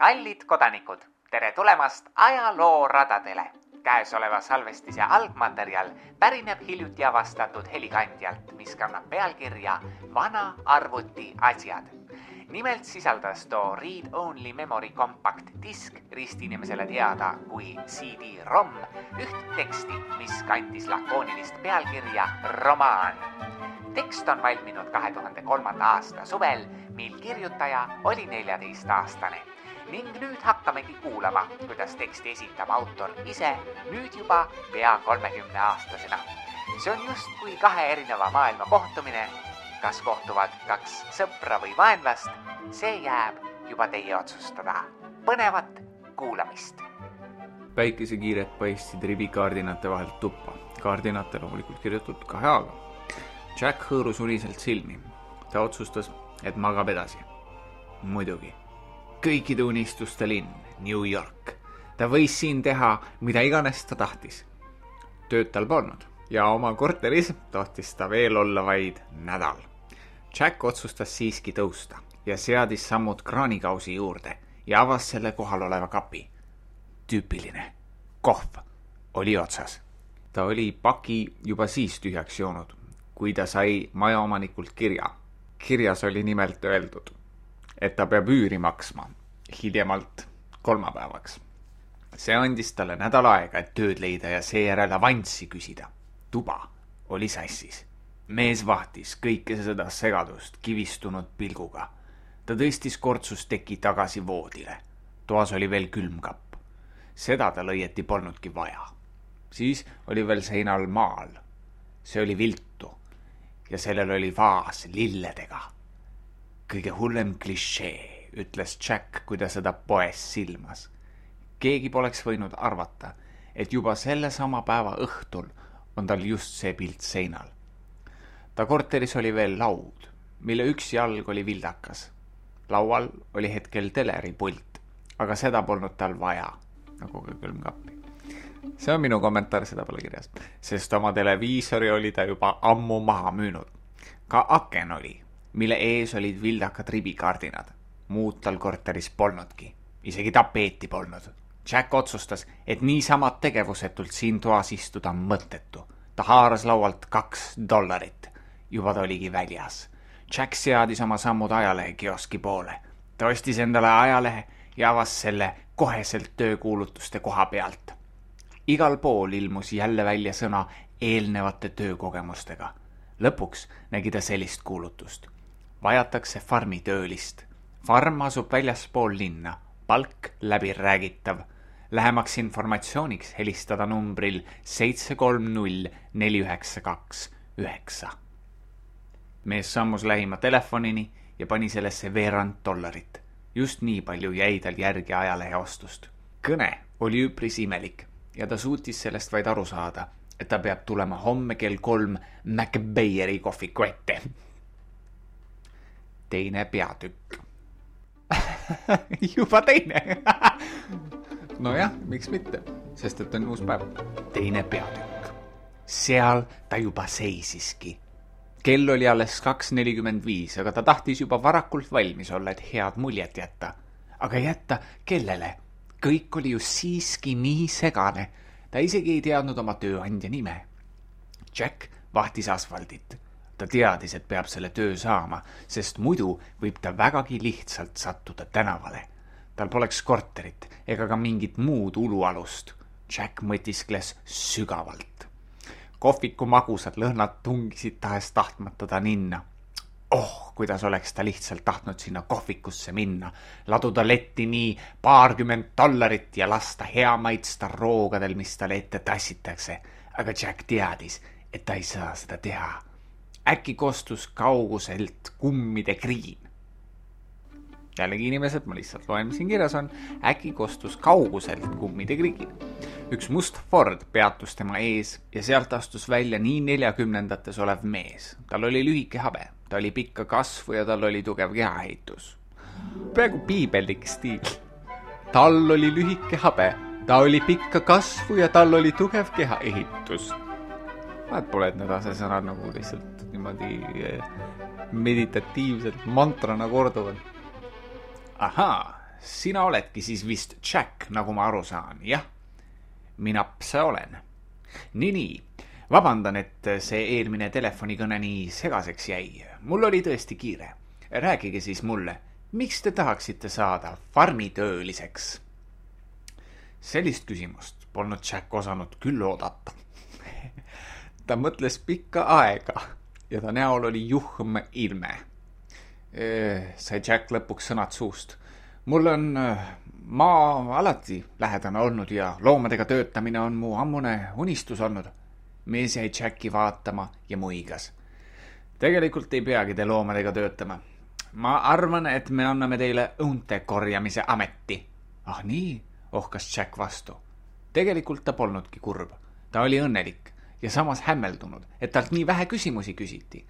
Kallid kodanikud, tere tulemast ajalooradadele. Käesoleva salvestise algmaterjal pärineb hiljuti avastatud helikandjalt, mis kannab pealkirja Vana arvuti asjad. Nimelt sisaldas too read-only memory compact disk, ristinimesele teada kui CD-ROM, üht teksti, mis kandis lakoonilist pealkirja romaan. Tekst on valminud 2003. aasta suvel, mil kirjutaja oli 14-aastane. Ning nüüd hakkamegi kuulama, kuidas teksti esitab autor ise, nüüd juba pea 30-aastasena. See on just kui kahe erineva maailma kohtumine. Kas kohtuvad kaks sõpra või vaenlast, see jääb juba teie otsustada. Põnevat kuulamist. Päikesekiired paistsid ribikaardinate vahelt tuppa. Kaardinate loomulikult kirjutatud kahe A-ga. Jack hõõrus uniselt silmi. Ta otsustas, et magab edasi. Muidugi. Kõikide unistuste linn, New York. Ta võis siin teha, mida iganes ta tahtis. Tööd tal polnud ja oma korteris tohtis ta veel olla vaid nädal. Jack otsustas siiski tõusta ja seadis sammud kraanikausi juurde ja avas selle kohal oleva kapi. Tüüpiline. Kohv oli otsas. Ta oli paki juba siis tühjaks joonud, kui ta sai majaomanikult kirja. Kirjas oli nimelt öeldud, et ta peab üüri maksma hiljemalt kolmapäevaks. See andis talle nädal aega, et tööd leida ja seejärel avanssi küsida. Tuba oli sassis. Mees vahtis kõike seda segadust kivistunud pilguga. Ta tõstis kortsusteki tagasi voodile. Toas oli veel külmkapp. Seda tal õieti polnudki vaja. Siis oli veel seinal maal. See oli viltu ja sellel oli vaas lilledega. Kõige hullem klišee, ütles Jack, kui ta seda poes silmas. Keegi poleks võinud arvata, et juba selle sama päeva õhtul on tal just see pilt seinal. Ta korteris oli veel laud, mille üks jalg oli vildakas. Laual oli hetkel teleripult, aga seda polnud tal vaja, nagu ka külmkappi. See on minu kommentaar, seda pole kirjas, sest oma televiisori oli ta juba ammu maha müünud. Ka aken oli, mille ees olid vildakad ribikardinad. Muud tal korteris polnudki, isegi tapeeti polnud. Jack otsustas, et niisamad tegevusetult siin toas istuda mõttetu. Ta haaras laualt $2. Juba ta oligi väljas. Jack seadis oma sammud ajalehe kioski poole. Ta ostis endale ajalehe ja avas selle koheselt töökuulutuste koha pealt. Igal pool ilmus jälle välja sõna eelnevate töökogemustega. Lõpuks nägi ta sellist kuulutust. Vajatakse farmitöölist. Farm asub väljaspool linna. Palk läbiräägitav. Lähemaks informatsiooniks helistada numbril 730 4929. Mees sammus lähima telefonini ja pani sellesse $2. Just nii palju jäi tal järgi ajalehe ostust. Kõne oli üpris imelik ja ta suutis sellest vaid aru saada, et ta peab tulema homme kell 3 McBayeri kohviku ette. Teine peatükk. Juba teine. No jah, miks mitte, sest et on uus päev. Teine peatükk. Seal ta juba seisiski. Kell oli alles 2:45, aga ta tahtis juba varakult valmis olla, et head muljet jätta. Aga jätta kellele? Kõik oli ju siiski nii segane. Ta isegi ei teadnud oma tööandja nime. Jack vahtis asfaldit. Ta teadis, et peab selle töö saama, sest muidu võib ta vägagi lihtsalt sattuda tänavale. Tal poleks korterit ega ka mingit muud ulualust. Jack mõtiskles sügavalt. Kohviku magusad lõhnad tungisid tahes tahtmata ta ninna. Kuidas oleks ta lihtsalt tahtnud sinna kohvikusse minna, laduda letti nii $20 ja lasta hea maitsta roogadel, mis talle ette tassitakse. Aga Jack teadis, et ta ei saa seda teha. Äkki kostus kauguselt kummide kriin. Jällegi inimesed, ma lihtsalt loen, mis siin kirjas on. Äkki kostus kauguselt kummide kriin. Üks must Ford peatus tema ees ja sealt astus välja nii 40-ndates olev mees. Tal oli lühike habe, ta oli pikka kasvu ja tal oli tugev kehaehitus. Praegu piibellik stiil. Tal oli lühike habe, ta oli pikka kasvu ja tal oli tugev kehaehitus. Vahet pole, et need asesõnad nagu lihtsalt niimoodi meditatiivselt mantrana korduvad. Ahaa, sina oledki siis vist Jack, nagu ma aru saan, jah? Mina see olen. Nii. Vabandan, et see eelmine telefonikõne nii segaseks jäi. Mul oli tõesti kiire. Rääkige siis mulle, miks te tahaksite saada farmitööliseks? Sellist küsimust polnud Jack osanud küll oodata. Ta mõtles pikka aega ja ta näol oli juhm ilme. Sai Jack lõpuks sõnad suust. Mul on maa alati lähedane olnud ja loomadega töötamine on mu ammune unistus olnud. Mees jäi Jacki vaatama ja muigas. Tegelikult ei peagi te loomadega töötama. Ma arvan, et me anname teile õunte korjamise ameti. Ah nii, ohkas Jack vastu. Tegelikult ta polnudki kurb. Ta oli õnnelik ja samas hämmeldunud, et talt nii vähe küsimusi küsiti.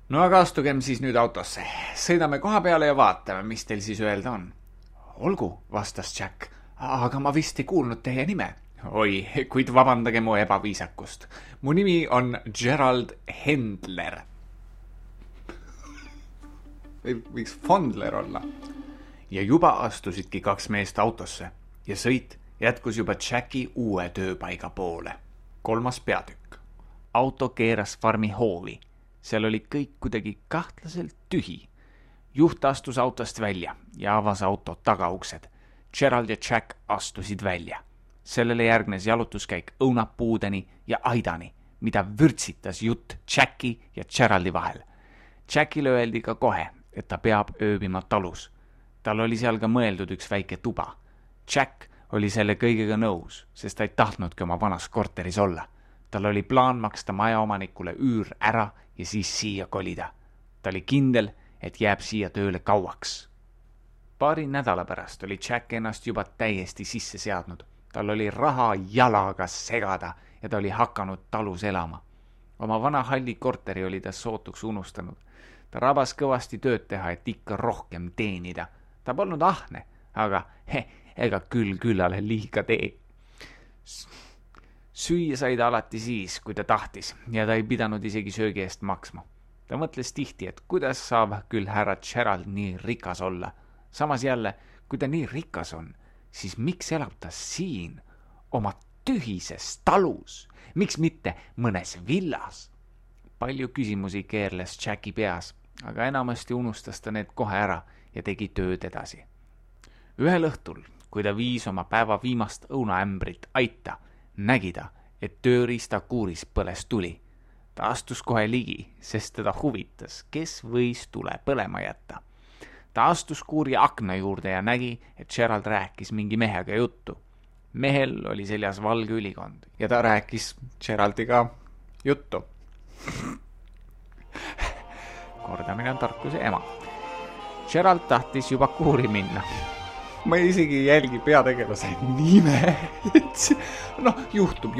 No aga astugem siis nüüd autosse. Sõidame koha peale ja vaatame, mis teil siis öelda on. Olgu, vastas Jack, aga ma vist ei kuulnud teie nime. Oi, kuid vabandage mu ebaviisakust. Mu nimi on Gerald Hendler. Võiks Fondler olla. Ja juba astusidki 2 meest autosse ja sõit jätkus juba Jacki uue tööpaiga poole. 3. peatükk. Auto keeras farmi hoovi. Seal oli kõik kuidagi kahtlaselt tühi. Juht astus autost välja ja avas auto tagauksed. Gerald ja Jack astusid välja. Sellele järgnes jalutuskäik õunapuudeni ja aidani, mida vürtsitas jutt Jacki ja Geraldi vahel. Jackile öeldi ka kohe, et ta peab ööbima talus. Tal oli seal ka mõeldud üks väike tuba. Jack oli selle kõigega nõus, sest ta ei tahtnudki oma vanas korteris olla. Tal oli plaan maksta majaomanikule üür ära ja siis siia kolida. Ta oli kindel, et jääb siia tööle kauaks. Paari nädala pärast oli Jack ennast juba täiesti sisse seadnud. Tal oli raha jalaga segada ja ta oli hakanud talus elama. Oma vana halli korteri oli ta sootuks unustanud. Ta rabas kõvasti tööd teha, et ikka rohkem teenida. Ta polnud ahne, aga ega küllale liiga tee. Süüa sai ta alati siis, kui ta tahtis ja ta ei pidanud isegi söögi eest maksma. Ta mõtles tihti, et kuidas saab küll härra Gerald nii rikas olla. Samas jälle, kui ta nii rikas on, siis miks elab ta siin oma tühises talus? Miks mitte mõnes villas? Palju küsimusi keerles Jacki peas, aga enamasti unustas ta need kohe ära ja tegi tööd edasi. Ühel õhtul, kui ta viis oma päeva viimast õunaämbrit aita, nägi ta, et tööriistakuuris põles tuli. Ta astus kohe ligi, sest teda huvitas, kes võis tule põlema jätta. Ta astus kuuri akna juurde ja nägi, et Gerald rääkis mingi mehega juttu. Mehel oli seljas valge ülikond ja ta rääkis Geraldiga juttu. Kordamine on tarkuse ema. Gerald tahtis juba kuuri minna. Ma isegi ei jälgi peategelase nime. Juhtub.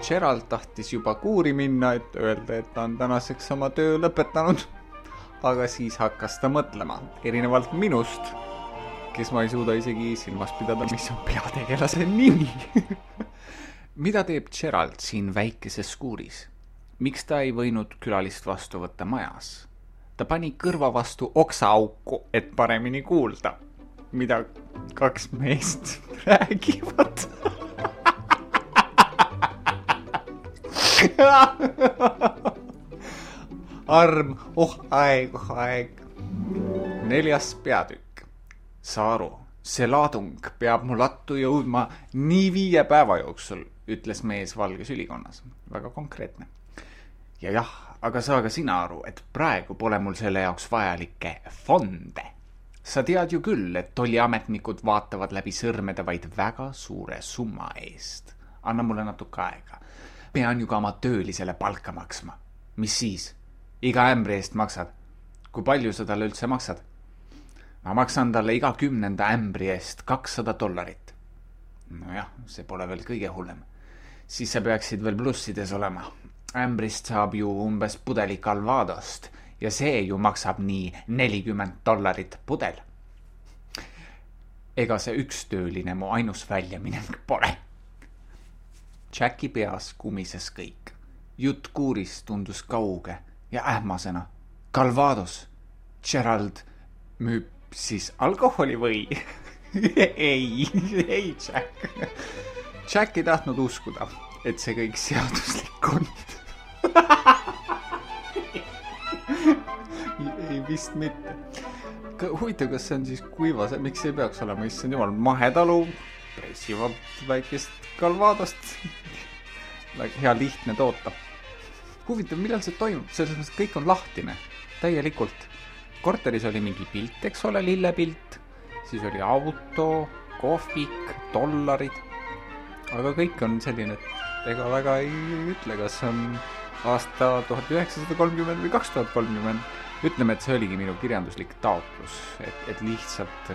Gerald tahtis juba kuuri minna, et öelda, et ta on tänaseks oma töö lõpetanud. Aga siis hakkas ta mõtlema, erinevalt minust, kes ma ei suuda isegi silmas pidada, mis on peategelase nimi. Mida teeb Gerald siin väikeses kuuris? Miks ta ei võinud külalist vastu võtta majas? Ta pani kõrva vastu oksaauku, et paremini kuulda, mida 2 meest räägivad. Arm, aeg. 4. peatükk. Saaru, see laadung peab mu lattu jõudma nii 5 päeva jooksul, ütles mees valges ülikonnas. Väga konkreetne. Ja jah, aga saa ka sina aru, et praegu pole mul selle jaoks vajalikke fonde. Sa tead ju küll, et tolliametnikud vaatavad läbi sõrmede vaid väga suure summa eest. Anna mulle natuke aega. Pean ju ka oma töölisele palka maksma. Mis siis? Iga ämbri eest maksad. Kui palju sa talle üldse maksad? Ma maksan talle iga 10. ämbri eest $200. Nojah, see pole veel kõige hullem. Siis sa peaksid veel plussides olema. Ämbrist saab ju umbes pudeli Calvadost ja see ju maksab nii $40 pudel. Ega see üks tööline mu ainus väljamineng pole. Jacki peas kumises kõik. Jutt kuuris tundus kauge ja ähmasena. Calvados. Gerald müüb Siis alkoholi või? ei, Jack. Jack ei tahtnud uskuda, et see kõik seaduslik on. ei vist mitte. Huvitav, kas see on siis kuivas, miks ei peaks olema, issand jumal, mahetalu, pressivad väikest kalvaadost. Hea lihtne toota. Huvitav, millal see toimub? Selles mõttes kõik on lahtine, täielikult. Korteris oli mingi pilt, eks ole, lillepilt, siis oli auto, kohvik, dollarid, aga kõik on selline, et ega väga ei ütle, kas on aasta 1930 või 2030. Ütleme, et see oligi minu kirjanduslik taotlus, et lihtsalt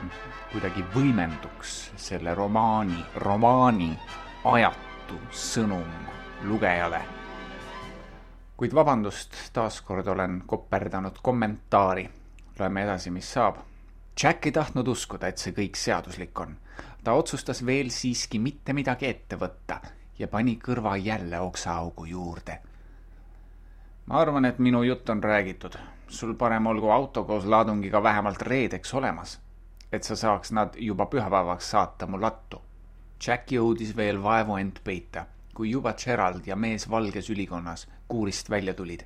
kuidagi võimenduks selle romaani ajatu sõnum lugejale. Kuid vabandust, taaskord olen koperdanud kommentaari. Loeme edasi, mis saab. Jack ei tahtnud uskuda, et see kõik seaduslik on. Ta otsustas veel siiski mitte midagi ette võtta ja pani kõrva jälle oksaaugu juurde. Ma arvan, et minu jutt on räägitud. Sul parem olgu auto koos laadungiga vähemalt reedeks olemas, et sa saaks nad juba pühapäevaks saata mu lattu. Jack jõudis veel vaevu end peita, kui juba Gerald ja mees valges ülikonnas kuurist välja tulid.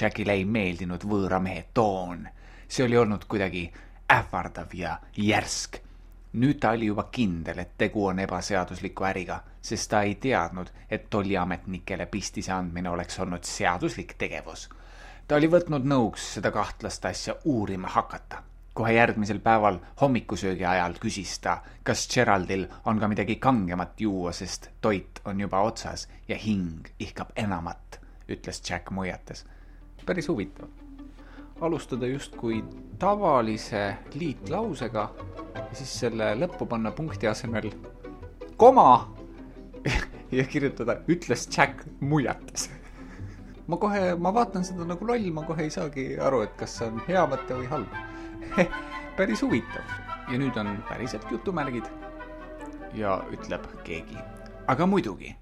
Jackile ei meeldinud võõra mehe toon. See oli olnud kuidagi ähvardav ja järsk. Nüüd ta oli juba kindel, et tegu on ebaseadusliku äriga, sest ta ei teadnud, et tolliametnikele pistise andmine oleks olnud seaduslik tegevus. Ta oli võtnud nõuks seda kahtlast asja uurima hakata. Kohe järgmisel päeval hommikusöögi ajal küsis ta, kas Geraldil on ka midagi kangemat juua, sest toit on juba otsas ja hing ihkab enamat, ütles Jack muiates. Päris huvitav. Alustada justkui tavalise liitlausega ja siis selle lõppu panna punkti asemel koma ja kirjutada ütles Jack muiates. Ma vaatan seda nagu loll, ma kohe ei saagi aru, et kas see on hea mõte või halb. Päris huvitav. Ja nüüd on päriselt jutumärgid ja ütleb keegi. Aga muidugi.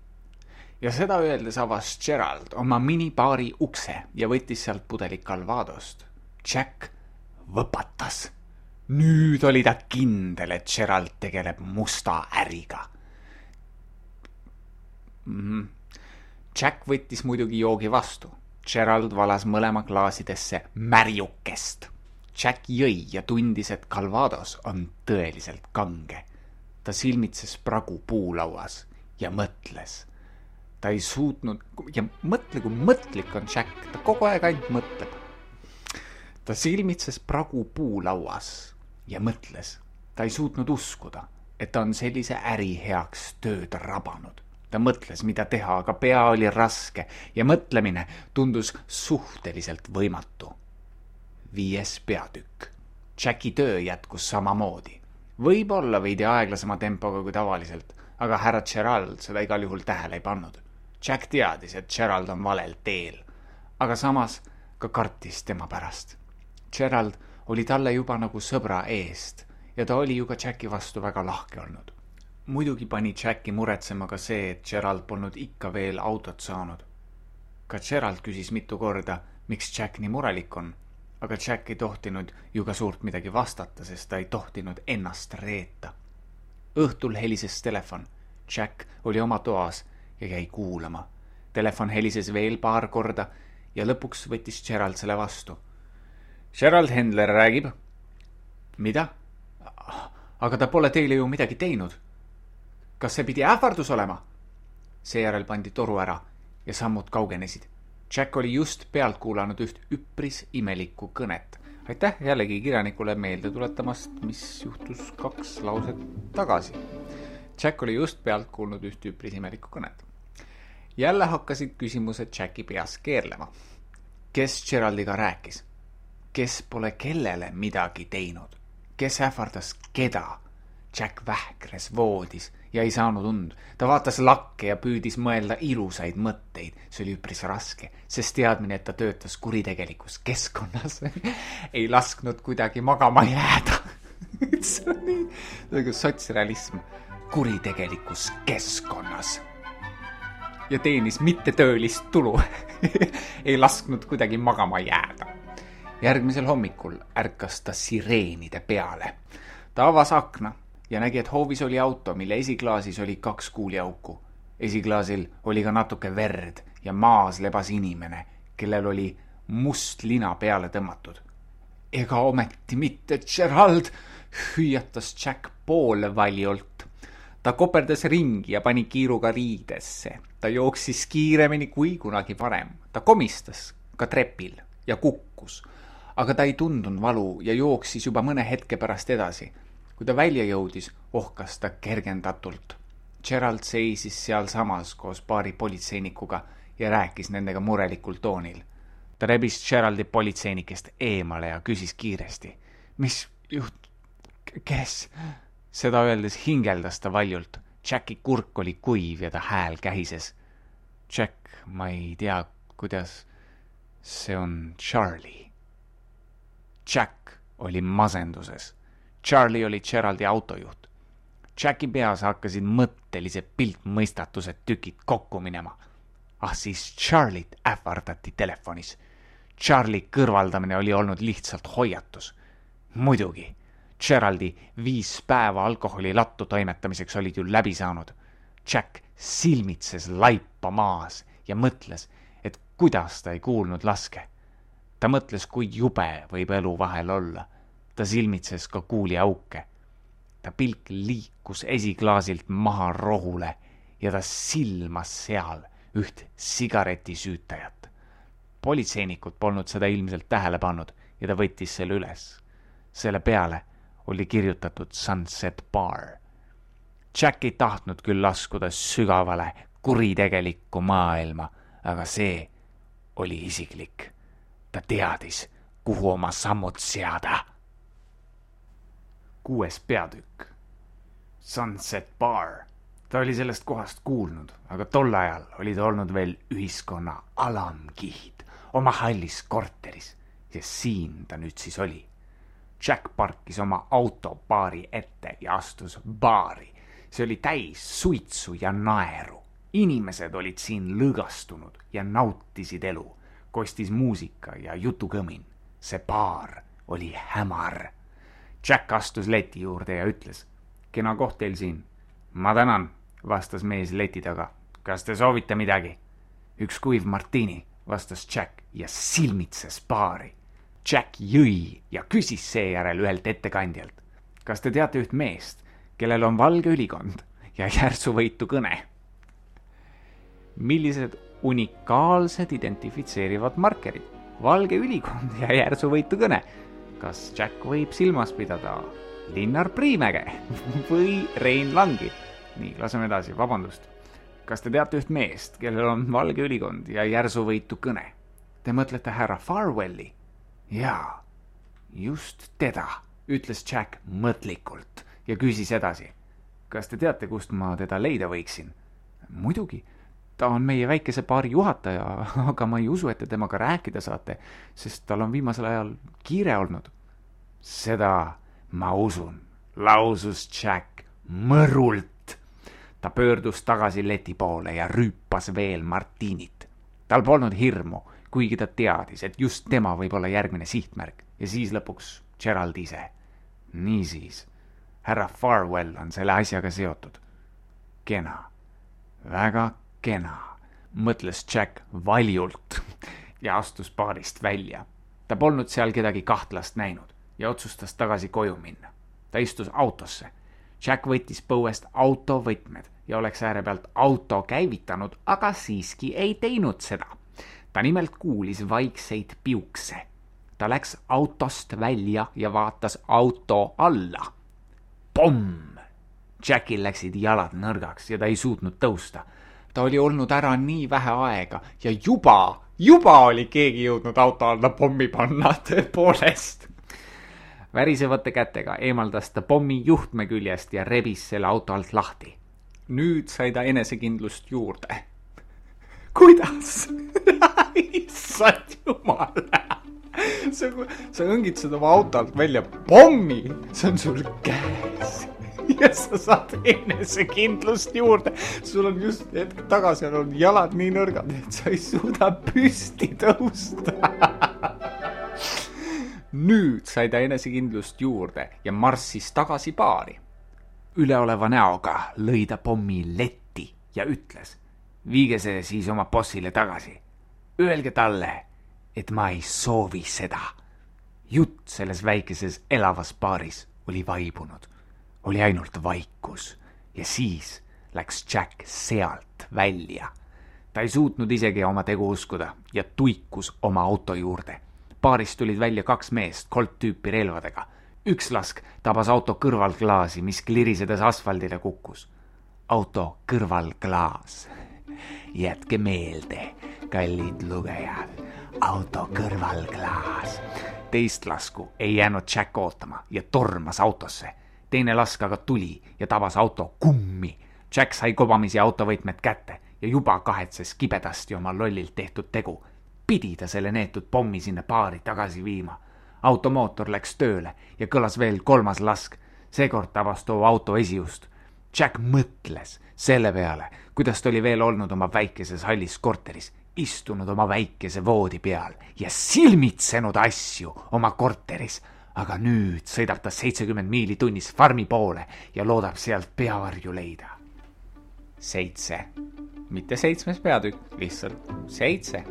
Ja seda öeldes avas Gerald oma minibaari ukse ja võttis sealt pudelik kalvaadost. Jack võpatas. Nüüd oli ta kindel, et Gerald tegeleb musta äriga. Jack võttis muidugi joogi vastu. Gerald valas mõlema klaasidesse märjukest. Jack jõi ja tundis, et kalvaados on tõeliselt kange. Ta silmitses pragu puulauas ja mõtles. Ta ei suutnud, ja mõtle, kui mõtlik on Jack, ta kogu aeg ainult mõtleb. Ta silmitses pragu puulauas ja mõtles. Ta ei suutnud uskuda, et ta on sellise äri heaks tööd rabanud. Ta mõtles, mida teha, aga pea oli raske ja mõtlemine tundus suhteliselt võimatu. 5. peatükk. Jacki töö jätkus samamoodi. Võib-olla veidi aeglasema tempoga kui tavaliselt, aga härra Gerald seda igal juhul tähele ei pannud. Jack teadis, et Gerald on valel teel, aga samas ka kartis tema pärast. Gerald oli talle juba nagu sõbra eest ja ta oli ju ka Jacki vastu väga lahke olnud. Muidugi pani Jacki muretsema ka see, et Gerald polnud ikka veel autot saanud. Ka Gerald küsis mitu korda, miks Jack nii murelik on, aga Jack ei tohtinud ju ka suurt midagi vastata, sest ta ei tohtinud ennast reeta. Õhtul helises telefon. Jack oli oma toas ja jäi kuulama. Telefon helises veel paar korda ja lõpuks võttis Gerald selle vastu. Gerald Hendler räägib. Mida? Aga ta pole teile ju midagi teinud. Kas see pidi ähvardus olema? Seejärel pandi toru ära ja sammud kaugenesid. Jack oli just pealt kuulanud üht üpris imelikku kõnet. Aitäh jällegi kirjanikule meelde tuletamast, mis juhtus 2 lauset tagasi. Jack oli just pealt kuulnud üht üpris imelikku kõnet. Jälle hakkasid küsimused Jacki peas keerlema. Kes Geraldiga rääkis? Kes pole kellele midagi teinud? Kes ähvardas keda? Jack vähkres voodis ja ei saanud und. Ta vaatas lakke ja püüdis mõelda ilusaid mõtteid. See oli üpris raske, sest teadmine, et ta töötas kuritegelikus keskkonnas ei lasknud kuidagi magama jääda. See on nii nagu sotsrealism. Kuritegelikus keskkonnas. Ja teenis mittetöölist tulu. Ei lasknud kuidagi magama jääda. Järgmisel hommikul ärkas ta sireenide peale. Ta avas akna ja nägi, et hoovis oli auto, mille esiklaasis oli 2 kuuliauku. Esiklaasil oli ka natuke verd ja maas lebas inimene, kellel oli must lina peale tõmmatud. Ega ometi mitte Gerald, hüüatas Jack poole valjult. Ta koperdas ringi ja pani kiiruga riidesse. Ta jooksis kiiremini kui kunagi varem. Ta komistas ka trepil ja kukkus, aga ta ei tundnud valu ja jooksis juba mõne hetke pärast edasi. Kui ta välja jõudis, ohkas ta kergendatult. Gerald seisis seal samas koos paari politseinikuga ja rääkis nendega murelikul toonil. Ta rebis Geraldi politseinikest eemale ja küsis kiiresti. Mis kes? Seda öeldes hingeldas ta valjult. Jacki kurk oli kuiv ja ta hääl kähises. Jack, ma ei tea, kuidas see on Charlie. Jack oli masenduses. Charlie oli Geraldi autojuht. Jacki peas hakkasid mõttelise piltmõistatused tükid kokku minema. Siis Charliet ähvardati telefonis. Charlie kõrvaldamine oli olnud lihtsalt hoiatus. Muidugi, Geraldi 5 päeva alkoholi lattu toimetamiseks olid ju läbi saanud. Jack silmitses laipa maas ja mõtles, et kuidas ta ei kuulnud laske. Ta mõtles, kui jube võib elu vahel olla. Ta silmitses ka kuuliauke. Ta pilk liikus esiklaasilt maha rohule ja ta silmas seal üht sigaretisüütajat. Politseinikud polnud seda ilmselt tähele pannud ja ta võttis selle üles. Selle peale oli kirjutatud Sunset Bar. Jack ei tahtnud küll laskuda sügavale kuritegelikku maailma, aga see oli isiklik. Ta teadis, kuhu oma sammud seada. 6. peatükk. Sunset Bar. Ta oli sellest kohast kuulnud, aga tol ajal oli ta olnud veel ühiskonna alamkihid oma hallis korteris ja siin ta nüüd siis oli. Jack parkis oma auto baari ette ja astus baari. See oli täis suitsu ja naeru. Inimesed olid siin lõgastunud ja nautisid elu. Kostis muusika ja jutukõmin. See baar oli hämar. Jack astus leti juurde ja ütles, kena koht teil siin. Ma tänan, vastas mees leti taga. Kas te soovite midagi? Üks kuiv martini, vastas Jack ja silmitses baari. Jack jõi ja küsis seejärel ühelt ettekandjalt. Kas te teate üht meest, kellel on valge ülikond ja järsuvõitu kõne? Millised unikaalsed identifitseerivad markerid? Valge ülikond ja järsuvõitu kõne. Kas Jack võib silmas pidada Linnar Priimäge või Rein Langi? Nii, laseme edasi, vabandust. Kas te teate üht meest, kellel on valge ülikond ja järsuvõitu kõne? Te mõtlete härra Farwelli? Jaa, just teda, ütles Jack mõtlikult ja küsis edasi. Kas te teate, kust ma teda leida võiksin? Muidugi, ta on meie väikese baari juhataja, aga ma ei usu, et te temaga rääkida saate, sest tal on viimasel ajal kiire olnud. Seda ma usun, lausus Jack mõrult. Ta pöördus tagasi leti poole ja rüüpas veel martiinit. Tal polnud hirmu, kuigi ta teadis, et just tema võib olla järgmine sihtmärk ja siis lõpuks Gerald ise. Niisiis, härra Farwell on selle asjaga seotud. Kena, väga kena, mõtles Jack valjult ja astus baarist välja. Ta polnud seal kedagi kahtlast näinud ja otsustas tagasi koju minna. Ta istus autosse. Jack võttis põuest autovõtmed ja oleks ääre pealt auto käivitanud, aga siiski ei teinud seda. Ta nimelt kuulis vaikseid piukse. Ta läks autost välja ja vaatas auto alla. Pomm! Jackil läksid jalad nõrgaks ja ta ei suutnud tõusta. Ta oli olnud ära nii vähe aega ja juba oli keegi jõudnud auto alla pommi panna tõepoolest. Värisevate kätega eemaldas ta pommi juhtme küljest ja rebis selle auto alt lahti. Nüüd sai ta enesekindlust juurde. Kuidas? Issand jumal. Sa õngid seda oma auto alt välja pommi. See on sul käes. Ja sa saad enesekindlust juurde. Sul on just hetk tagasi on jalad nii nõrgad, et sa ei suuda püsti tõusta. Nüüd sai ta enesekindlust juurde ja marssis tagasi baari. Üleoleva näoga lõi ta pommi letti ja ütles: viige see siis oma bossile tagasi. Öelge talle, et ma ei soovi seda. Jutt selles väikeses elavas baaris oli vaibunud. Oli ainult vaikus ja siis läks Jack sealt välja. Ta ei suutnud isegi oma tegu uskuda ja tuikus oma auto juurde. Baarist tulid välja 2 meest Colt tüüpi relvadega. Üks lask tabas auto kõrvalklaasi, mis klirisedes asfaldile kukkus. Auto kõrvalklaas. Jätke meelde, kallid lugejad. Auto kõrvalklaas. Teist lasku ei jäänud Jack ootama ja tormas autosse. Teine lask aga tuli ja tabas auto kummi. Jack sai kobamisi autovõitmed kätte ja juba kahetses kibedasti oma lollilt tehtud tegu. Pidi ta selle neetud pommi sinna baari tagasi viima. Automootor läks tööle ja kõlas veel 3. lask. Seekord tabas too auto esiust. Jack mõtles selle peale, kuidas ta oli veel olnud oma väikeses hallis korteris, istunud oma väikese voodi peal ja silmitsenud asju oma korteris. Aga nüüd sõidab ta 70 miili tunnis farmi poole ja loodab sealt peavarju leida. 7. Mitte 7. peatükk, lihtsalt 7.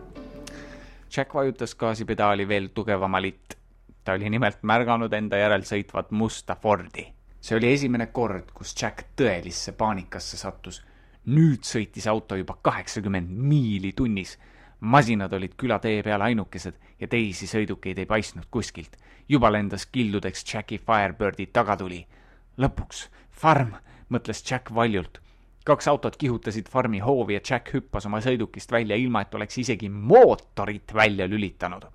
Jack vajutas gaasipedaali veel tugevamalt. Ta oli nimelt märganud enda järel sõitvat musta Fordi. See oli esimene kord, kus Jack tõelisse paanikasse sattus. Nüüd sõitis auto juba 80 miili tunnis. Masinad olid külatee peal ainukesed ja teisi sõidukeid ei paistnud kuskilt. Juba lendas kildudeks Jacki Firebirdi tagatuli. Lõpuks, farm, mõtles Jack valjult. 2 autot kihutasid farmi hoovi ja Jack hüppas oma sõidukist välja ilma, et oleks isegi mootorit välja lülitanud.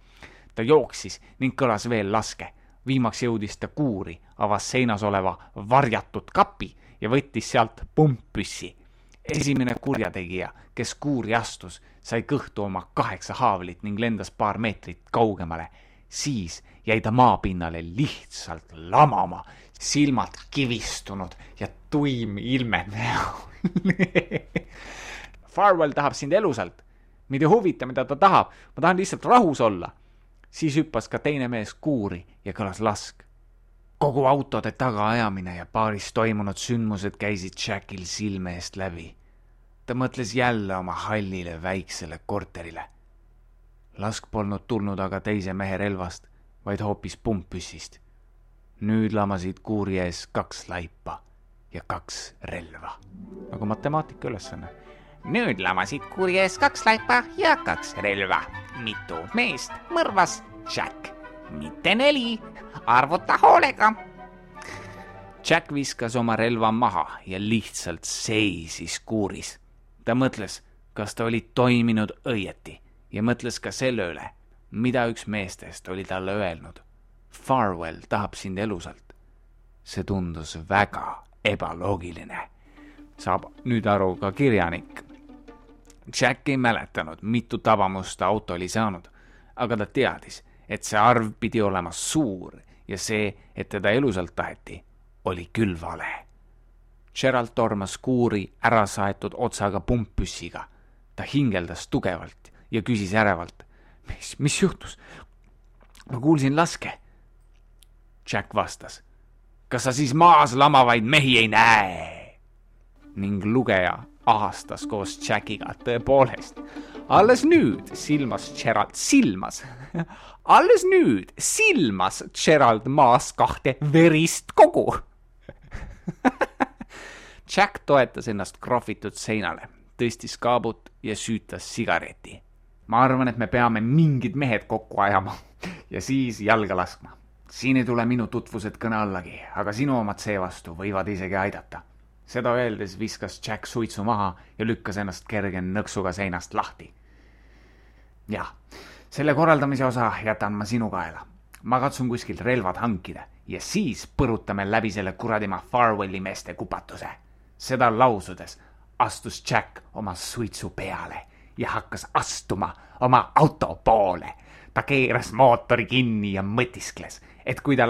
Ta jooksis ning kõlas veel laske. Viimaks jõudis ta kuuri, avas seinas oleva varjatud kapi ja võttis sealt pumppüssi. Esimene kurjategija, kes kuuri astus, sai kõhtu oma 8 haavlit ning lendas paar meetrit kaugemale. Siis jäi ta maapinnale lihtsalt lamama, silmad kivistunud ja tuim ilme näol. Farwell tahab sind elusalt. Mind ei huvita, mida ta tahab. Ma tahan lihtsalt rahus olla. Siis hüppas ka teine mees kuuri ja kõlas lask. Kogu autode tagaajamine ja baaris toimunud sündmused käisid Jackil silme eest läbi. Ta mõtles jälle oma hallile väiksele korterile. Lask polnud tulnud aga teise mehe relvast, vaid hoopis pumppüssist. Nüüd lamasid kuuri ees 2 laipa ja 2 relva. Nagu matemaatika ülesanne. Nüüd lamasid kuuri ees 2 laipa ja 2 relva. Mitu meest mõrvas Jack. Mitte 4. Arvuta hoolega. Jack viskas oma relva maha ja lihtsalt seisis kuuris. Ta mõtles, kas ta oli toiminud õieti ja mõtles ka selle üle, mida üks meestest oli talle öelnud. Farwell tahab sind elusalt. See tundus väga ebaloogiline. Saab nüüd aru ka kirjanik. Jack ei mäletanud, mitu tabamusta auto oli saanud, aga ta teadis, et see arv pidi olema suur ja see, et teda elusalt taheti, oli küll vale. Gerald tormas kuuri ära saetud otsaga pumppüssiga. Ta hingeldas tugevalt ja küsis ärevalt. Mis juhtus? Ma kuulsin laske. Jack vastas. Kas sa siis maas lamavaid mehi ei näe? Ning lugeja ahastas koos Jackiga tõepoolest. Alles nüüd silmas Gerald maas 2 verist kogu. Jack toetas ennast krohvitud seinale, tõstis kaabut ja süütas sigareti. Ma arvan, et me peame mingid mehed kokku ajama ja siis jalga laskma. Siin ei tule minu tutvused kõne allagi, aga sinu omad seevastu võivad isegi aidata. Seda öeldes viskas Jack suitsu maha ja lükkas ennast kerge nõksuga seinast lahti. Jah, selle korraldamise osa jätan ma sinu kaela. Ma katsun kuskilt relvad hankida ja siis põrutame läbi selle kuradima Farwelli meeste kupatuse. Seda lausudes astus Jack oma suitsu peale ja hakkas astuma oma auto poole. Ta keeras mootori kinni ja mõtiskles, et kui ta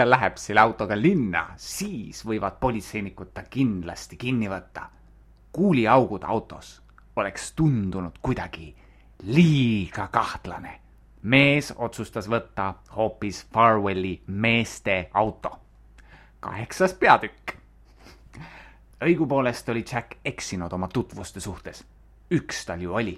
läheb selle autoga linna, siis võivad politseinikud ta kindlasti kinni võtta. Kuuliaugud autos oleks tundunud kuidagi liiga kahtlane. Mees otsustas võtta hoopis Farwelli meeste auto. 8. peatükk. Õigupoolest oli Jack eksinud oma tutvuste suhtes. Üks tal ju oli.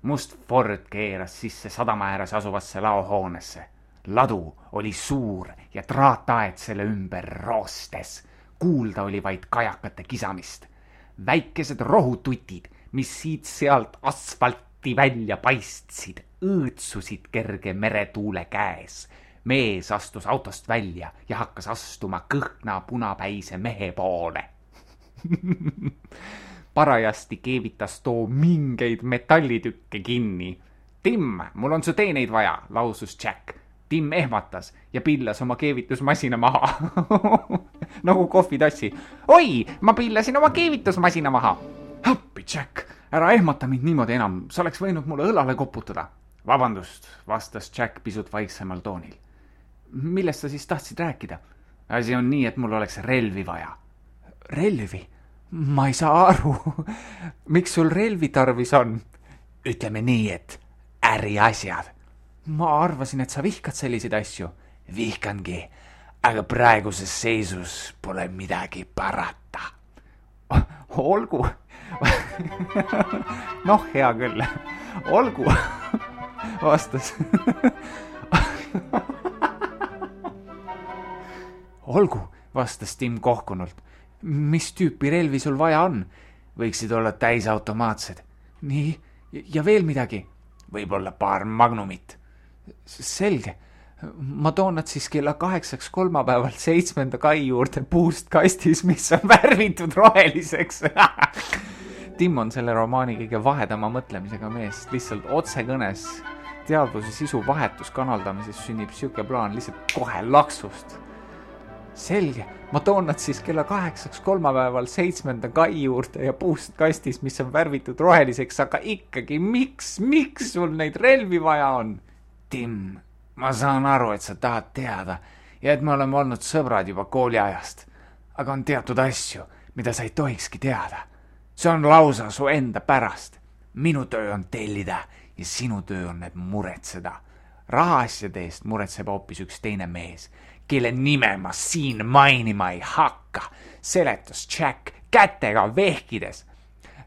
Must Ford keeras sisse sadama ääres asuvasse laohoonesse. Ladu oli suur ja traataed selle ümber roostes. Kuulda oli vaid kajakate kisamist. Väikesed rohututid, mis siit-sealt asfalti välja paistsid, õõtsusid kerge meretuule käes. Mees astus autost välja ja hakkas astuma kõhna punapäise mehe poole. Parajasti keevitas too mingeid metallitükke kinni. Tim, mul on su teeneid vaja, lausus Jack. Tim ehmatas ja pillas oma keevitusmasina maha. Nagu kohvitassi. Oi, ma pillasin oma keevitusmasina maha. Appi, Jack, ära ehmata mind niimoodi enam. Sa oleks võinud mulle õlale koputada. Vabandust, vastas Jack pisut vaiksemal toonil. Millest sa siis tahtsid rääkida? Asi on nii, et mul oleks relvi vaja. Relvi? Ma ei saa aru. Miks sul relvi tarvis on? Ütleme nii, et äriasjad. Ma arvasin, et sa vihkad selliseid asju. Vihkangi, aga praeguses seisus pole midagi parata. Olgu. Noh, hea küll. Olgu, vastas. Olgu, vastas Tim kohkunult. Mis tüüpi relvi sul vaja on? Võiksid olla täisautomaatsed. Nii, ja veel midagi. Võib-olla paar magnumit. Selge. Ma toon nad siis kella 8 kolmapäeval 7. kai juurde puust kastis, mis on värvitud roheliseks. Tim on selle romaani kõige vahedama mõtlemisega mees. Lihtsalt otsekõnes teadvuse sisu vahetus kanaldamises sünnib siuke plaan lihtsalt kohe laksust. Selge, ma toon nad siis kella 8 kolmapäeval 7. kai juurde ja puust kastis, mis on värvitud roheliseks, aga ikkagi, miks sul neid relvi vaja on? Tim, ma saan aru, et sa tahad teada ja et me oleme olnud sõbrad juba kooliajast, aga on teatud asju, mida sa ei tohikski teada. See on lausa su enda pärast. Minu töö on tellida ja sinu töö on need muretseda. Rahaasjade eest muretseb hoopis üks teine mees, kelle nime ma siin mainima ei hakka, seletas Jack kätega vehkides.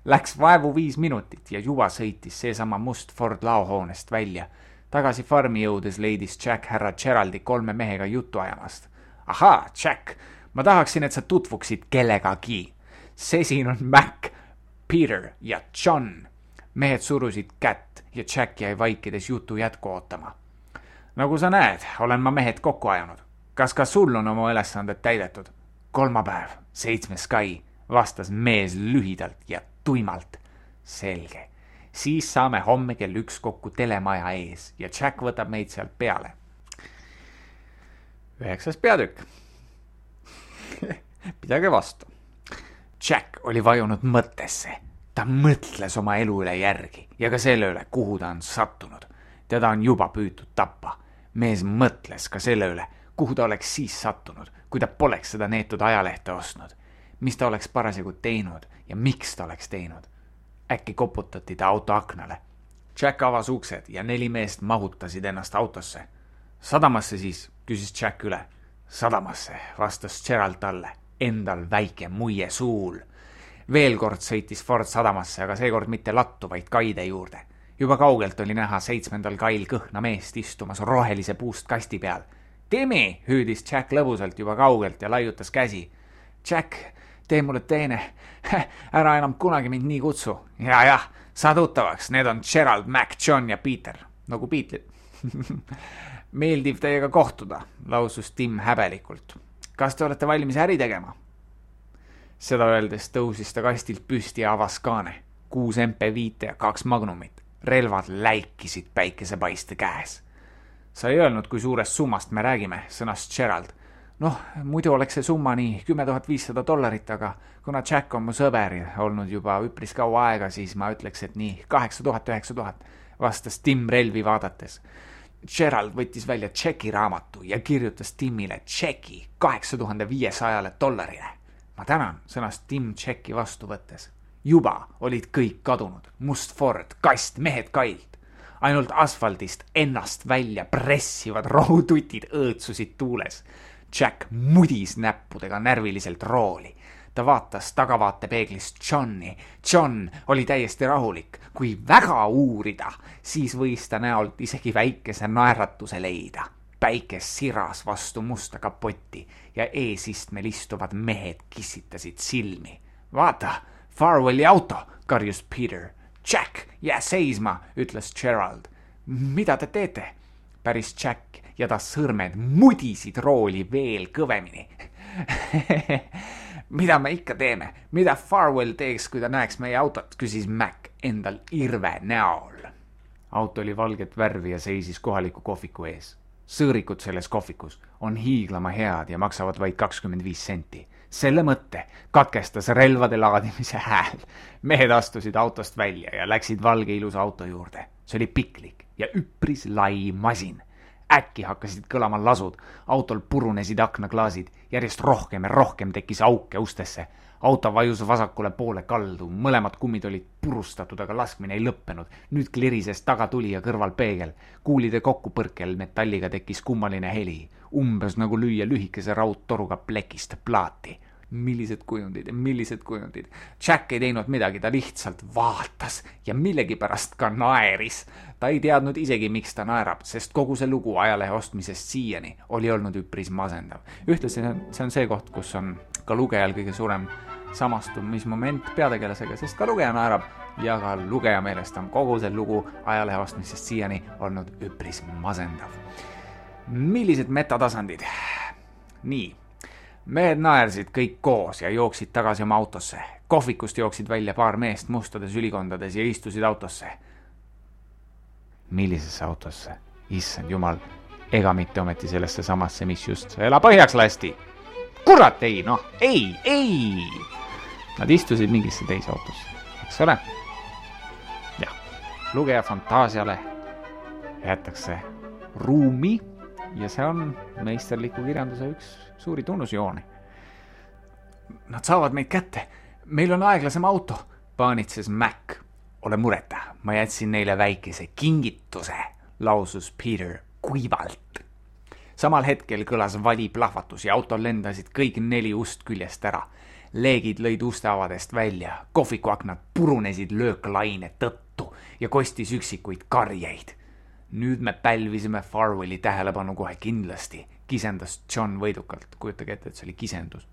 Läks vaevu 5 minutit ja juba sõitis seesama must Ford laohoonest välja. Tagasi farmi jõudes leidis Jack härra Geraldi 3 mehega juttu ajamast. Ahaa, Jack, ma tahaksin, et sa tutvuksid kellegagi. See siin on Mac, Peter ja John. Mehed surusid kätt ja Jack jäi vaikides jutu jätku ootama. Nagu sa näed, olen ma mehed kokku ajanud. Kas ka sul on oma ülesanded täidetud? Kolmapäev, 7. kai, vastas mees lühidalt ja tuimalt. Selge. Siis saame homme kell 1 kokku telemaja ees ja Jack võtab meid sealt peale. 9. peatükk. Pidage vastu. Jack oli vajunud mõttesse. Ta mõtles oma elu üle järgi ja ka selle üle, kuhu ta on sattunud. Teda on juba püütud tappa. Mees mõtles ka selle üle, kuhu ta oleks siis sattunud, kui ta poleks seda neetud ajalehte ostnud. Mis ta oleks parasjagu teinud ja miks ta oleks teinud. Äkki koputati ta auto aknale. Jack avas uksed ja 4 meest mahutasid ennast autosse. Sadamasse siis, küsis Jack üle. Sadamasse, vastas Gerald talle, endal väike muie suul. Veel kord sõitis Ford sadamasse, aga seekord mitte lattu, vaid kaide juurde. Juba kaugelt oli näha 7. kail kõhna meest istumas rohelise puust kasti peal. Timmy, hüüdis Jack lõbusalt juba kaugelt ja laiutas käsi. Jack, tee mulle teene. Ära enam kunagi mind nii kutsu. Ja, saa tuttavaks, need on Gerald, Mac, John ja Peter. Nagu Beatlid. Meeldiv teiega kohtuda, lausus Tim häbelikult. Kas te olete valmis äri tegema? Seda öeldes tõusis ta kastilt püsti ja avas kaane. 6 MP5 ja 2 magnumit. Relvad läikisid päikesepaiste käes. Sa ei öelnud, kui suurest summast me räägime, sõnas Gerald. Noh, muidu oleks see summa nii $10,500, aga kuna Jack on mu sõber olnud juba üpris kaua aega, siis ma ütleks, et nii 8,000, vastas Tim relvi vaadates. Gerald võttis välja tšeki raamatu ja kirjutas Timile tšeki $8,500. Ma tänan, sõnas Tim tšeki vastu võttes. Juba olid kõik kadunud. Must Ford, kast, mehed kailt. ainult asfaldist ennast välja pressivad rohututid õõtsusid tuules. Jack mudis näppudega närviliselt rooli. Ta vaatas tagavaatepeeglist Johni. John oli täiesti rahulik. Kui väga uurida, siis võis ta näolt isegi väikese naeratuse leida. Päike siras vastu musta kapotti ja eesistmel istuvad mehed kissitasid silmi. Vaata, Farwelli auto, karjus Peter. Jack, jää seisma, ütles Gerald. Mida te teete? Päris Jack ja ta sõrmed mudisid rooli veel kõvemini. Mida me ikka teeme? Mida Farwell teeks, kui ta näeks meie autot, küsis Mac endal irve näol. Auto oli valget värvi ja seisis kohaliku kohviku ees. Sõõrikud selles kohvikus on hiiglama head ja maksavad vaid 25 senti. Selle mõtte katkestas relvade laadimise hääl. Mehed astusid autost välja ja läksid valge ilusa auto juurde. See oli piklik ja üpris lai masin. Äkki hakkasid kõlama lasud, autol purunesid aknaklaasid, järjest rohkem ja rohkem tekkis auke ustesse. Auto vajus vasakule poole kaldu, mõlemad kummid olid purustatud, aga laskmine ei lõppenud. Nüüd klirises tagatuli ja kõrval peegel. Kuulide kokkupõrkel metalliga tekkis kummaline heli, umbes nagu lüüa lühikese raudtoruga plekist plaati. Millised kujundid. Jack ei teinud midagi, ta lihtsalt vaatas ja millegipärast ka naeris. Ta ei teadnud isegi, miks ta naerab, sest kogu see lugu ajalehe ostmisest siiani oli olnud üpris masendav. Ühtlasi see on see koht, kus on ka lugejal kõige suurem samastumismoment peategelasega, sest ka lugeja naerab ja ka lugeja meelest on kogu see lugu ajalehe ostmisest siiani olnud üpris masendav. Millised metatasandid? Nii. Mehed naersid kõik koos ja jooksid tagasi oma autosse. Kohvikust jooksid välja paar meest mustades ülikondades ja istusid autosse. Millisesse autosse? Issand jumal, ega mitte ometi sellesse samasse, mis just ela põhjaks lasti. Kurat, ei. Nad istusid mingisse teise autosse, eks ole? Jah, lugeja fantaasiale jätakse ruumi ja see on meisterliku kirjanduse üks suuri tunnusjooni. Nad saavad meid kätte. Meil on aeglasem auto, paanitses Mac. Ole mureta, ma jätsin neile väikese kingituse, lausus Peter kuivalt. Samal hetkel kõlas vali plahvatus ja autol lendasid kõik 4 ust küljest ära. Leegid lõid uste avadest välja, kohvikuaknad purunesid lööklaine tõttu ja kostis üksikuid karjeid. Nüüd me pälvisime Farwelli tähelepanu kohe kindlasti, kisendas John võidukalt. Kujutage ette, et see oli kisendus.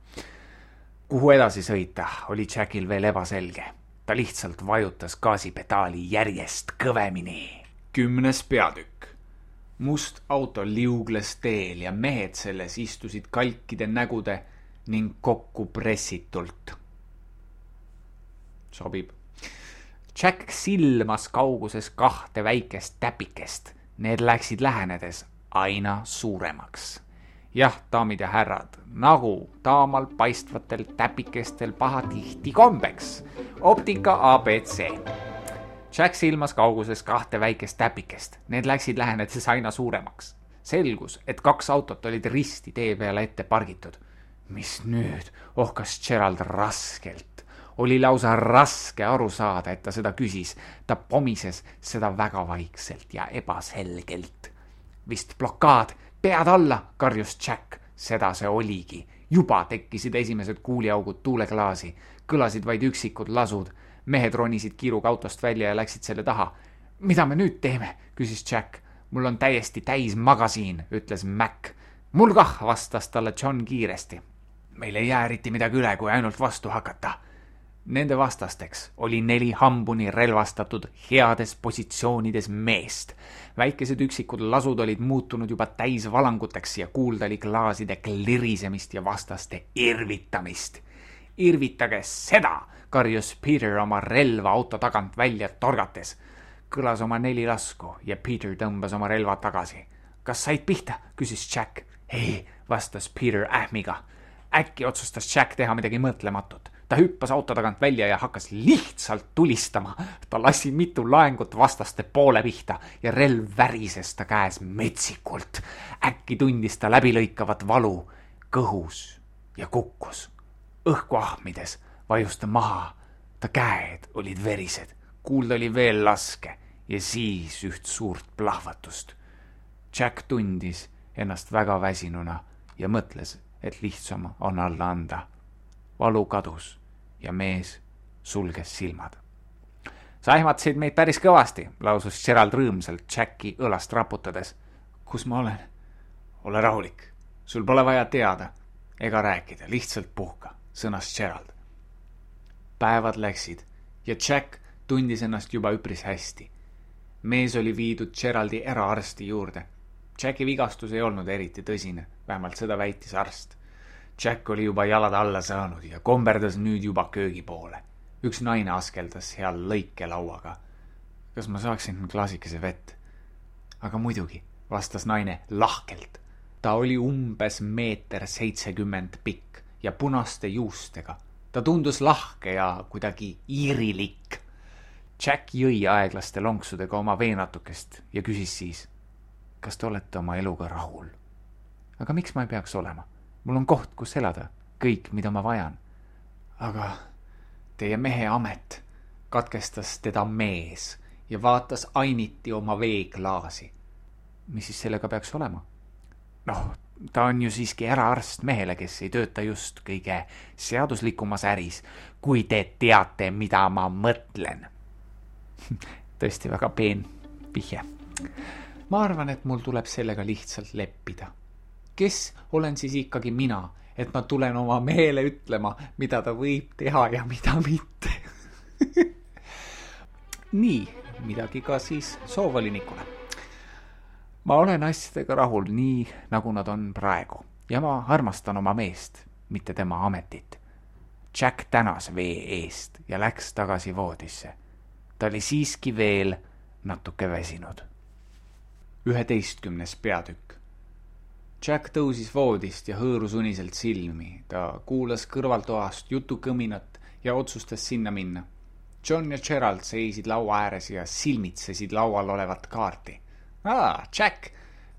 Kuhu edasi sõita, oli Jackil veel ebaselge. Ta lihtsalt vajutas gaasipedaali järjest kõvemini. 10. peatükk. Must auto liugles teel ja mehed selles istusid kalkide nägude ning kokku pressitult. Sobib. Jack silmas kauguses 2 väikest täpikest. Need läksid lähenedes aina suuremaks. Jah, daamid ja härrad, nagu taamal paistvatel täpikestel pahatihti kombeks. Optika ABC. Jack silmas kauguses 2 väikest täpikest. Need läksid lähenedes aina suuremaks. Selgus, et 2 autot olid risti tee peale ette pargitud. Mis nüüd? Ohkas Gerald raskelt. Oli lausa raske aru saada, et ta seda küsis. Ta pomises seda väga vaikselt ja ebaselgelt. Vist blokaad, pead alla, karjus Jack. Seda see oligi. Juba tekkisid esimesed kuuliaugud tuuleklaasi. Kõlasid vaid üksikud lasud. Mehed ronisid kiiruga autost välja ja läksid selle taha. Mida me nüüd teeme, küsis Jack. Mul on täiesti täis magasiin, ütles Mac. Mul kah, vastas talle John kiiresti. Meil ei jää eriti midagi üle, kui ainult vastu hakata. Nende vastasteks oli 4 hambuni relvastatud heades positsioonides meest. Väikesed üksikud lasud olid muutunud juba täis valanguteks ja kuulda oli klaaside klirisemist ja vastaste irvitamist. Irvitage seda, karjus Peter oma relva auto tagant välja torgates. Kõlas oma 4 lasku ja Peter tõmbas oma relva tagasi. Kas said pihta, küsis Jack. Ei, vastas Peter ähmiga. Äkki otsustas Jack teha midagi mõtlematut. Ta hüppas auto tagant välja ja hakkas lihtsalt tulistama. Ta lasi mitu laengut vastaste poole pihta ja relv värises ta käes metsikult. Äkki tundis ta läbilõikavat valu kõhus ja kukkus. Õhku ahmides vajus ta maha. Ta käed olid verised. Kuulda oli veel laske ja siis üht suurt plahvatust. Jack tundis ennast väga väsinuna ja mõtles, et lihtsam on alla anda. Valu kadus ja mees sulges silmad. Sa ehmatasid meid päris kõvasti, lausus Gerald rõõmsalt Jacki õlast raputades. Kus ma olen? Ole rahulik. Sul pole vaja teada ega rääkida, lihtsalt puhka, sõnas Gerald. Päevad läksid ja Jack tundis ennast juba üpris hästi. Mees oli viidud Geraldi eraarsti juurde. Jacki vigastus ei olnud eriti tõsine, vähemalt seda väitis arst. Jack oli juba jalad alla saanud ja komberdas nüüd juba köögi poole. Üks naine askeldas seal lõikelauaga. Kas ma saaksin klaasikese vett? Aga muidugi, vastas naine lahkelt. Ta oli umbes 1,70 meetrit pikk ja punaste juustega. Ta tundus lahke ja kuidagi iirilik. Jack jõi aeglaste lonksudega oma veenatukest ja küsis siis, kas te olete oma eluga rahul? Aga miks ma ei peaks olema? Mul on koht, kus elada, kõik, mida ma vajan. Aga teie mehe amet, katkestas teda mees ja vaatas ainiti oma veeklaasi. Mis siis sellega peaks olema? Noh, ta on ju siiski eraarst mehele, kes ei tööta just kõige seaduslikumas äris, kui te teate, mida ma mõtlen. Tõesti väga peen vihje. Ma arvan, et mul tuleb sellega lihtsalt leppida. Kes olen siis ikkagi mina, et ma tulen oma mehele ütlema, mida ta võib teha ja mida mitte. Nii, midagi ka siis soovolinikule. Ma olen asjadega rahul nii, nagu nad on praegu ja ma armastan oma meest, mitte tema ametit. Jack tänas vee eest ja läks tagasi voodisse. Ta oli siiski veel natuke väsinud. 11. peatükk. Jack tõusis voodist ja hõõrus uniselt silmi. Ta kuulas kõrvaltoast jutukõminat ja otsustas sinna minna. John ja Gerald seisid laua ääres ja silmitsesid laual olevat kaarti. Jack,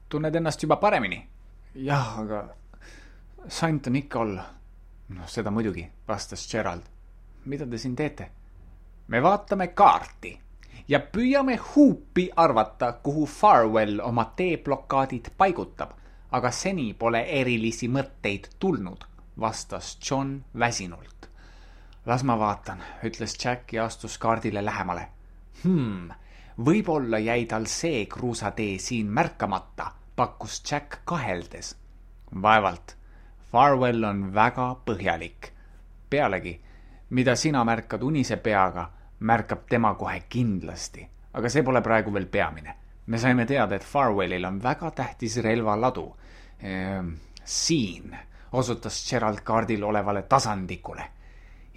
tunned ennast juba paremini? Jah, aga sant on ikka olla. No seda muidugi, vastas Gerald. Mida te siin teete? Me vaatame kaarti ja püüame huupi arvata, kuhu Farwell oma teeblokaadid paigutab, aga seni pole erilisi mõtteid tulnud, vastas John väsinult. Las ma vaatan, ütles Jack ja astus kaardile lähemale. Võib-olla jäi tal see kruusatee siin märkamata, pakkus Jack kaheldes. Vaevalt, Farwell on väga põhjalik. Pealegi, mida sina märkad unise peaga, märkab tema kohe kindlasti. Aga see pole praegu veel peamine. Me saime teada, et Farwellil on väga tähtis relvaladu. Siin osutas Gerald kaardil olevale tasandikule.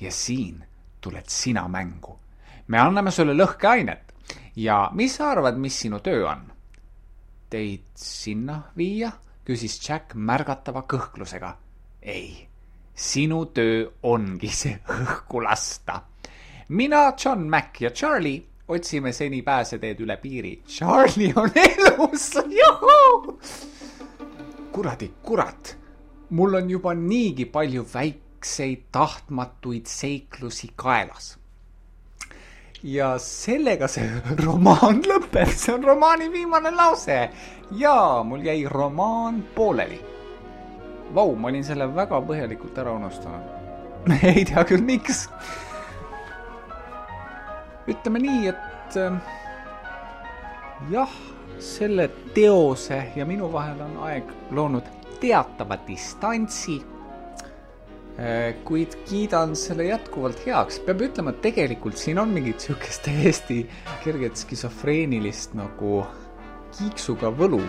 Ja siin tuled sina mängu. Me anname sulle lõhkeainet. Ja mis sa arvad, mis sinu töö on? Teid sinna viia? Küsis Jack märgatava kõhklusega. Ei, sinu töö ongi see õhku lasta. Mina, John Mac ja Charlie otsime seni pääseteed üle piiri. Charlie on elus! Juhu! Kuradi kurat! Mul on juba niigi palju väikseid tahtmatuid seiklusi kaelas. Ja sellega see romaan lõpeb. See on romaani viimane lause. Ja mul jäi romaan pooleli. Vau, ma olin selle väga põhjalikult ära unustanud. Ei tea küll miks. Ütleme nii, et jah, selle teose ja minu vahel on aeg loonud teatava distantsi, kuid kiidan selle jätkuvalt heaks. Peab ütlema, et tegelikult siin on mingit sihukest täiesti kerget skisofreenilist nagu kiiksuga võlu.